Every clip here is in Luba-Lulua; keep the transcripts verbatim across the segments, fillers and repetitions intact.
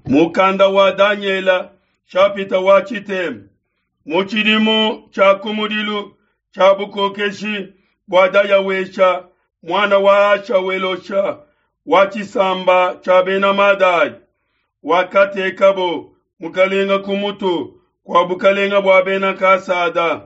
Mukanda wa Danyela shapita wa tshitema. Mu tshidimu tshia kumudilu tshia bukokeshi bua Dayawesha muana wa Ashawelosha wa tshisamba tshia bena Madai, wakatekabo mukalenga ku mutu kua bukalenga bua bena Kasada.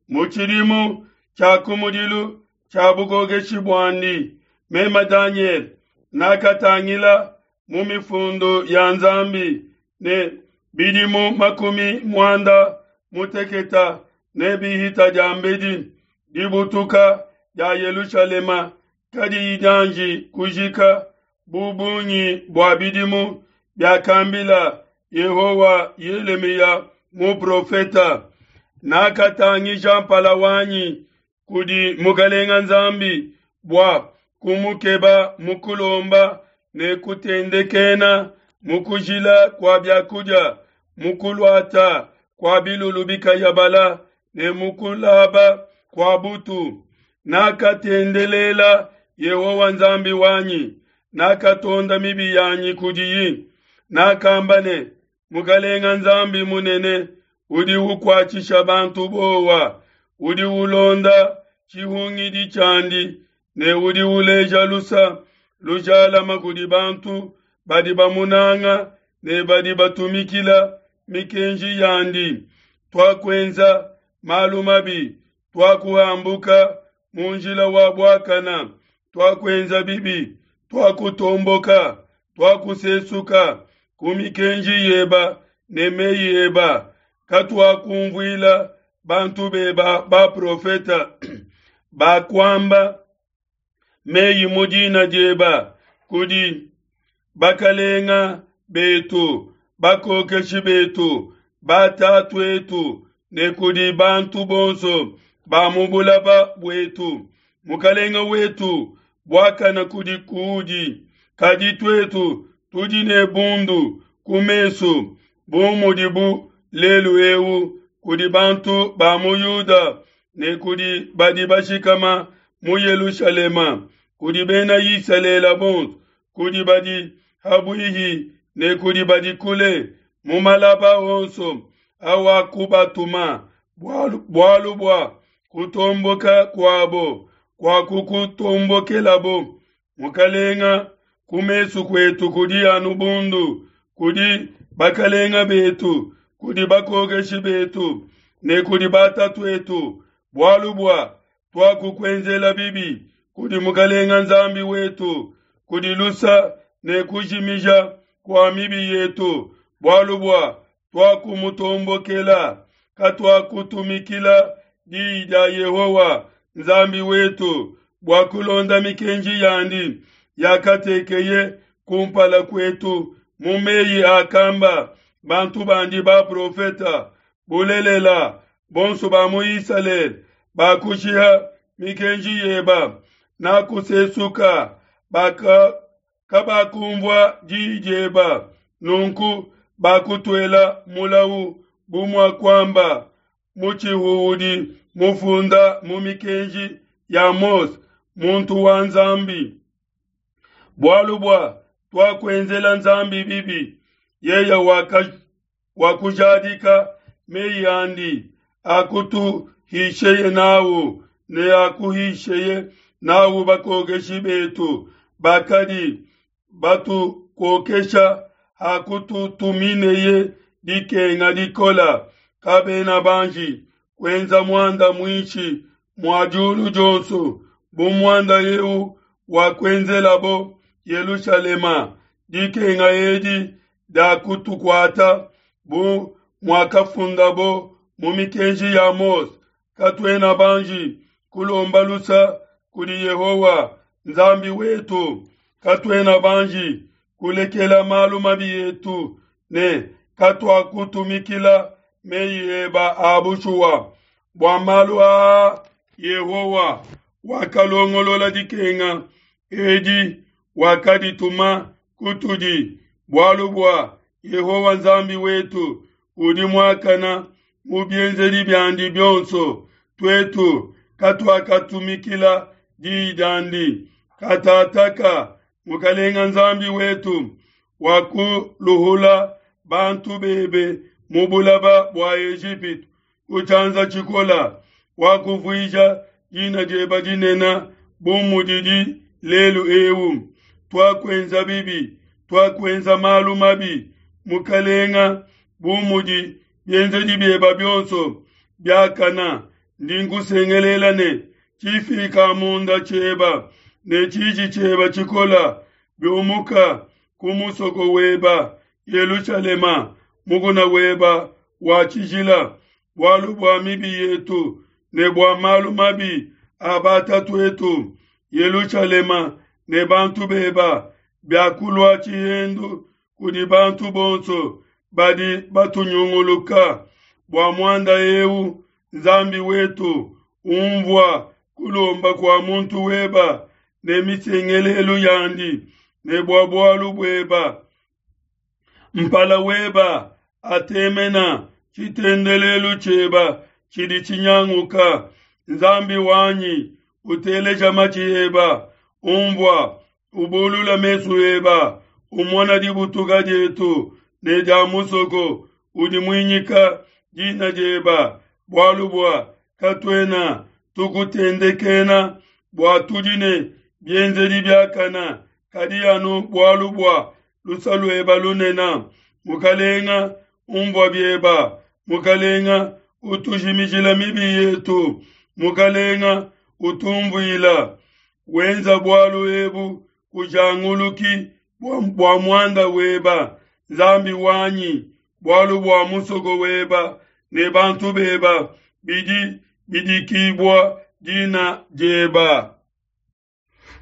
Mu tshidimu tshia kumudilu tshia bukokeshi buandi, meme Danyele nakatangila mu mifundu ya Nzambi ne bidimu makumi muanda muteketa ne bihita diambedi dibutuka dia Yelushalema kadiyi dianji kujika bu bungi bua bidimu biakambila Yehowa Yelemiya muprofeta. Nakatangija mpala wanyi kudi Mukalenga Nzambi bua kumukeba mu kulomba ne kutendekena mu kujila kua biakudia, mu kuluata kua bilulu bikayabala ne mu kulaba kua butu. Nakatendelela Yehowa Nzambi wanyi, nakatonda mibi yanyi kudiyi. Nakamba ne, Mukalenga Nzambi munene udi ukuatshisha bantu bowa, udi ulonda tshihungidi tshiandi ne udi uleja lusa lujalama kudi bantu badi bamunanga ne badi batumikila mikenji yandi. Tuakuenza malu mabi, tuakuhambuka mu njila wa buakana, tuakuenza bibi, tuakutomboka, tuakusesuka ku mikenji yeba ne meyi eba. Katuakumvuila bantu beba baprofeta bakuamba meyi mu dina dieba kudi bakalenga betu, bakokeshi betu, batatuetu ne kudi bantu bonso ba mu bulaba buetu. Mukalenga wetu, buakana kudi kudi, kadi tuetu tudi ne bundu ku mesu bu mudibu lelu eu kudi bantu ba mu Yuda ne kudi badi bashikama mu Yelushalema, kudi bena Isalele bonso, kudi badi habuihi ne kudi badi kule, mu malaba onso awakubatuma, bualu, bualu bua kutomboka kuabo kuakukutombokelabo. Mukalenga, ku mesu kuetu kudi anu bundu, kudi bakalenga betu, kudi bakokeshi betu ne kudi batatuetu, bualu bua tuakukuenzela bibi kudi Mukalenga Nzambi wetu, kudi lusa ne kujimija kua mibi yetu, bualu bua tuakumutombokela, katuakutumikila diyi dia Yehowa Nzambi wetu bua kulonda mikenji yandi yakatekeye kumpala kuetu mu meyi akamba bantu bandi baprofeta. Bulelela, bonso ba mu Isalele bakushiha mikenji yeba, nakusesuka baka kabakumvua diyi dieba, nunku bakutuela mulawu bu muakuamba mutshihu mufunda mu mikenji ya Mose muntu wa Nzambi. Bualu bua tuakuenzela Nzambi bibi, yeye wakujadika meyi andi akutuhisheye nawu ne akuhisheye nawu bakokeshi betu bakadi batukokesha hakututumineye dikenga dikola. Kabena banji kuenza muanda muinshi mua diulu dionso bu muanda eu wakuenzelabo Yelushalema. Dikenga edi diakutukuata bu muakafundabo mu mikenji ya Mose. Katuena banji kulomba lusa kudi Yehowa Nzambi wetu, katuena banji kulekela malu mabi etu ne katuakutumikila meyi eba a bushuwa. Bua malu aa Yehowa wakalongolola dikenga edi, wakadituma kutudi, bualu bua Yehowa Nzambi wetu udi muakana mu bienzedi biandi bionso. Tuetu katuakatumikila diyi diandi. Katataka Mukalenga Nzambi wetu Wakuluhula bantu bebe mu bulaba bua Ejipitu ku tshianza tshikola, wakuvuija dina dieba dinene bu mudidi lelu eu. Tuakuenza bibi, tuakuenza malu mabi, Mukalenga, bu mudi bienzedi bieba bionso biakana. Ndi nkusengelela ne tshifika munda tshieba ne tshiji tshieba tshikola biumuka ku musoko weba Yelushalema, mukuna weba wa tshijila, bualu bua mibi yetu ne bua malu mabi a batatuetu. Yelushalema ne bantu beba biakulua tshihendu kudi bantu bonso badi batunyunguluka. Bua muanda eu, Nzambi wetu, umvua kulomba kua muntu weba ne misengelelu yandi, ne bua bualu bueba mpala weba atemena tshitendelelu tshieba tshidi tshinyanguka. Nzambi wanyi, uteleja matshi eba, umvua, ubulula mesu eba, umona dibutuka dietu ne dia musoko udi muinyika dina dieba, bualu bua katuena tukutendekena bua tudi ne bienzedi biakana, kadi anu bualu bua lusa lueba lunene. Mukalenga, umvua bieba, Mukalenga, utujimijila mibi yetu, Mukalenga, utumvuila. Wenza bualu ebu kujanguluki bua muanda weba, Nzambi wanyi, bualu bua musoko weba ne bantu beba bidi bidikibua dina dieba.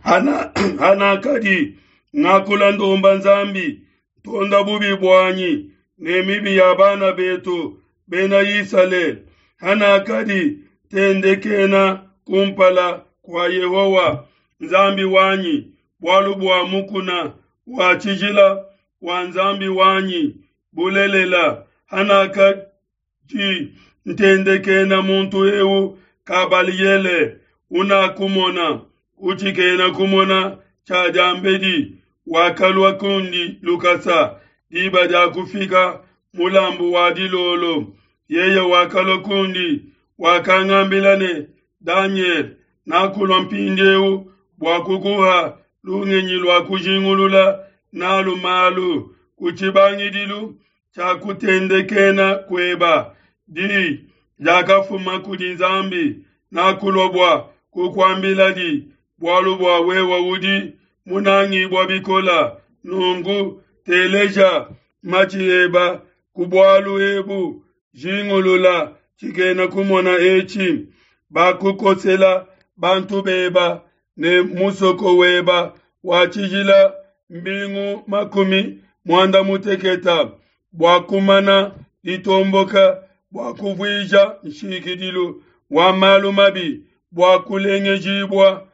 Hana hanakadi ngakula ndomba Nzambi, ntonda bubi buanyi ne mibi ya bana betu bena Isalele. Hanakadi tendekena kumpala kua Yehowa Nzambi wanyi, bualu bua mukuna wa tshijila wa Nzambi wanyi. Bulelela, hanakadi ntendekena muntu eu Kabaliele unakumona utshikena kumona tshia diambedi, wakalua kundi lukasa diba dia kufika mulambu wa dilolo. Yeye wakalua kundi, wakangambila ne, Daniel, nakulua mpindieu bua kukuha lungenyi lua kujingulula nalu malu ku tshibangidilu tshia kutendekena kueba. Di diakafuma kudi Nzambi, nakulua bua kukuambiladi, bualu bua wewe udi munangibua bikola. Nunku teleja matshi eba ku bualu ebu, jingulula tshikena kumona etshi. Bakukosela bantu beba ne musoko weba wa tshijila mbingu makumi muanda muteketa bua kumana ditomboka, bua kuvuija nshikidilu wa malu mabi, bua kulengejibua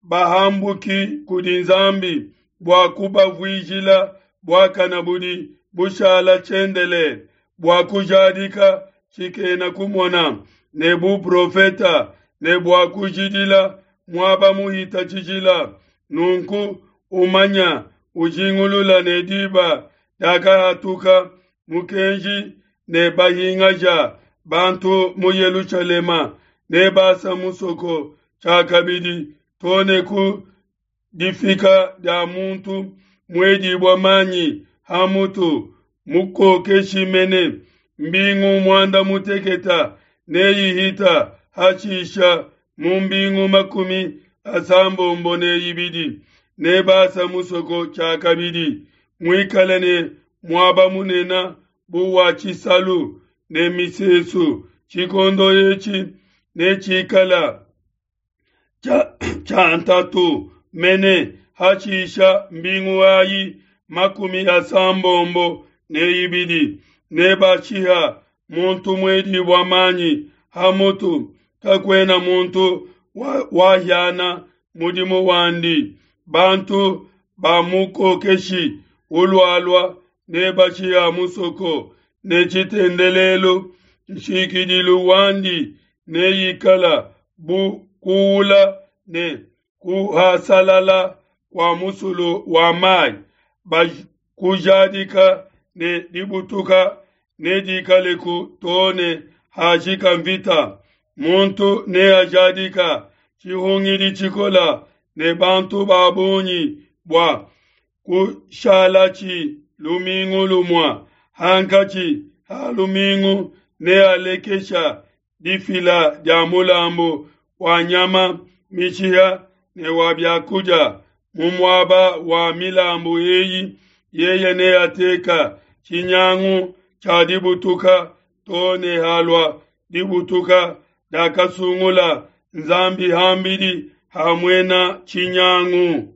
bahambuki kudi Nzambi, bua kubavuijila buakana budi bushala tshiendelele, bua kujadika tshikena kumona ne buprofeta, ne bua kujidila muaba muhita tshijila. Nunku umanya ujingulula ne diba diakahatuka mukenji ne bahingaja bantu mu Yelushalema, ne basa musoko tshiakabidi to ne ku difika dia muntu muedibua manyi ha mutu, mukokeshi mene. Mbingu muanda muteketa neyihita hashisha mu mbingu makumi asambombo ne ibidi nebasa musoko tshiakabidi, muikale ne muaba munene bu wa tshisalu ne misesu. Tshikondo etshi netshikala tshia ntatu mene hashisha mbingu ayi makumi asambombo ne ibidi nebashiha muntu muedibua manyi ha mutu, kakuena muntu wahiana mudimu wandi. Bantu ba mukokeshi ulualua nebashiha musoko ne tshitendelelu. Nshikidilu wandi neikala bu kuula ne kuhasalala kua musulu wa mai. kujadika ne dibutuka nedikaleku too ne hajika mvita. Muntu neajadika tshihungidi tshikola ne bantu ba bungi bua kushalatshi lumingu lumue. Hankatshi ha lumingu nealekesha difila dia mulambu wa nyama mishiha ne wa biakudia. Mu muaba wa milambu eyi yeye neateka tshinyangu tshia dibutuka too ne halua dibutuka diakasungula Nzambi ham'bidi ha muena tshinyangu.